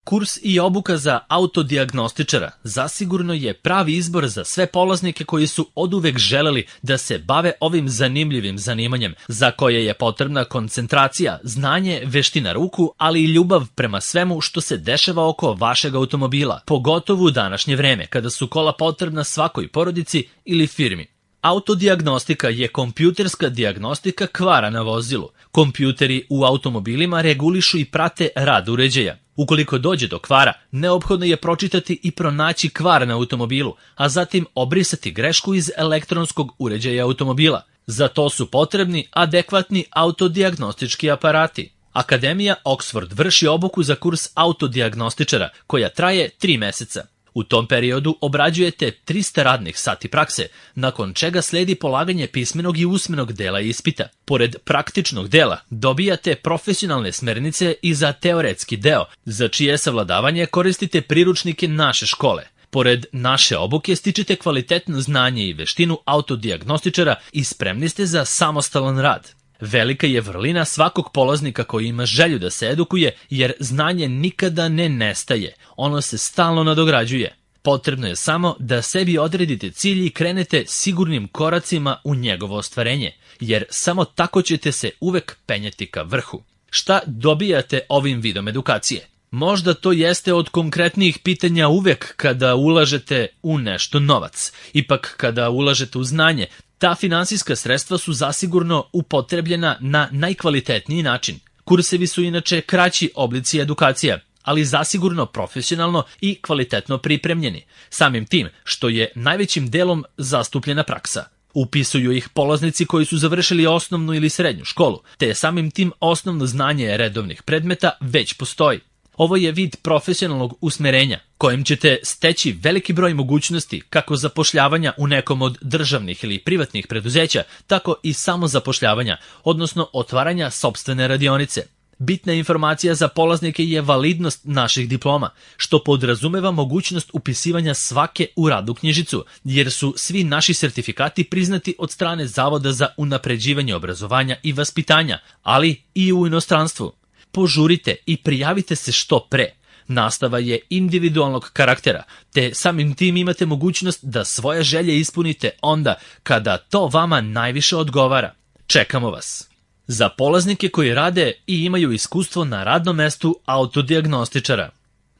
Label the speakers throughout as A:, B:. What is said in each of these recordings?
A: Kurs i obuka za autodijagnostičara zasigurno je pravi izbor za sve polaznike koji su oduvek želeli da se bave ovim zanimljivim zanimanjem, za koje je potrebna koncentracija, znanje, veština ruku, ali i ljubav prema svemu što se dešava oko vašeg automobila, pogotovo u današnje vreme, kada su kola potrebna svakoj porodici ili firmi. Autodijagnostika je kompjuterska dijagnostika kvara na vozilu. Kompjuteri u automobilima regulišu i prate rad uređaja. Ukoliko dođe do kvara, neophodno je pročitati i pronaći kvar na automobilu, a zatim obrisati grešku iz elektronskog uređaja automobila. Za to su potrebni adekvatni autodijagnostički aparati. Akademija Oxford vrši obuku za kurs autodijagnostičara, koja traje 3 meseca. U tom periodu obrađujete 300 radnih sati prakse, nakon čega sledi polaganje pismenog i usmenog dela ispita. Pored praktičnog dela dobijate profesionalne smernice i za teoretski deo, za čije savladavanje koristite priručnike naše škole. Pored naše obuke stičete kvalitetno znanje i veštinu autodijagnostičara i spremni ste za samostalan rad. Velika je vrlina svakog polaznika koji ima želju da se edukuje, jer znanje nikada ne nestaje, ono se stalno nadograđuje. Potrebno je samo da sebi odredite cilj i krenete sigurnim koracima u njegovo ostvarenje, jer samo tako ćete se uvek penjati ka vrhu. Šta dobijate ovim vidom edukacije? Možda to jeste od konkretnijih pitanja uvek kada ulažete u nešto novac. Ipak kada ulažete u znanje, ta finansijska sredstva su zasigurno upotrebljena na najkvalitetniji način. Kursevi su inače kraći oblici edukacija, ali zasigurno profesionalno i kvalitetno pripremljeni, samim tim što je najvećim delom zastupljena praksa. Upisuju ih polaznici koji su završili osnovnu ili srednju školu, te samim tim osnovno znanje redovnih predmeta već postoji. Ovo je vid profesionalnog usmerenja, kojim ćete steći veliki broj mogućnosti kako zapošljavanja u nekom od državnih ili privatnih preduzeća, tako i samozapošljavanja, odnosno otvaranja sopstvene radionice. Bitna informacija za polaznike je validnost naših diploma, što podrazumeva mogućnost upisivanja svake u radnu knjižicu, jer su svi naši sertifikati priznati od strane Zavoda za unapređivanje obrazovanja i vaspitanja, ali i u inostranstvu. Požurite i prijavite se što pre. Nastava je individualnog karaktera, te samim tim imate mogućnost da svoje želje ispunite onda kada to vama najviše odgovara. Čekamo vas. Za polaznike koji rade i imaju iskustvo na radnom mestu autodijagnostičara.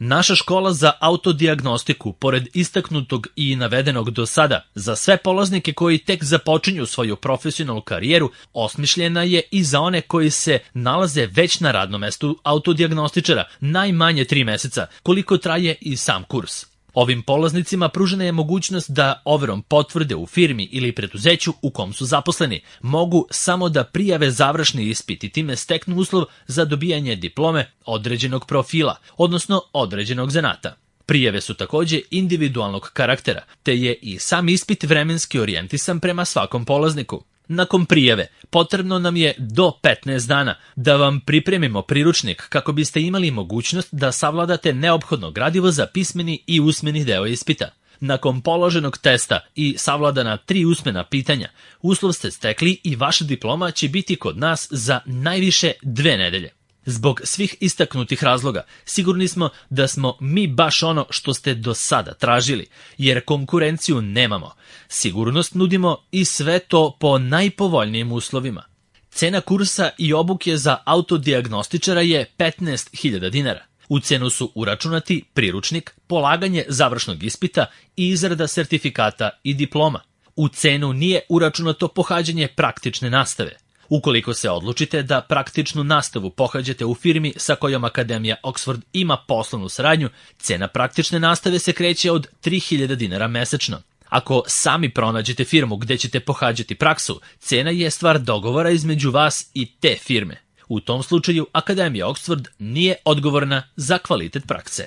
A: Naša škola za autodijagnostiku, pored istaknutog i navedenog do sada, za sve polaznike koji tek započinju svoju profesionalnu karijeru, osmišljena je i za one koji se nalaze već na radnom mestu autodijagnostičara najmanje 3 meseca, koliko traje i sam kurs. Ovim polaznicima pružena je mogućnost da overom potvrde u firmi ili preduzeću u kom su zaposleni mogu samo da prijave završni ispit i time steknu uslov za dobijanje diplome određenog profila, odnosno određenog zanata. Prijave su takođe individualnog karaktera, te je i sam ispit vremenski orijentisan prema svakom polazniku. Nakon prijave, potrebno nam je do 15 dana da vam pripremimo priručnik kako biste imali mogućnost da savladate neophodno gradivo za pismeni i usmeni deo ispita. Nakon položenog testa i savladana 3 usmena pitanja, uslov ste stekli i vaša diploma će biti kod nas za najviše 2 nedelje. Zbog svih istaknutih razloga, sigurni smo da smo mi baš ono što ste do sada tražili, jer konkurenciju nemamo. Sigurnost nudimo i sve to po najpovoljnijim uslovima. Cena kursa i obuke za autodijagnostičara je 15.000 dinara. U cenu su uračunati priručnik, polaganje završnog ispita i izrada sertifikata i diploma. U cenu nije uračunato pohađanje praktične nastave. Ukoliko se odlučite da praktičnu nastavu pohađate u firmi sa kojom Akademija Oxford ima poslovnu saradnju, cena praktične nastave se kreće od 3.000 dinara mesečno. Ako sami pronađete firmu gde ćete pohađati praksu, cena je stvar dogovora između vas i te firme. U tom slučaju Akademija Oxford nije odgovorna za kvalitet prakse.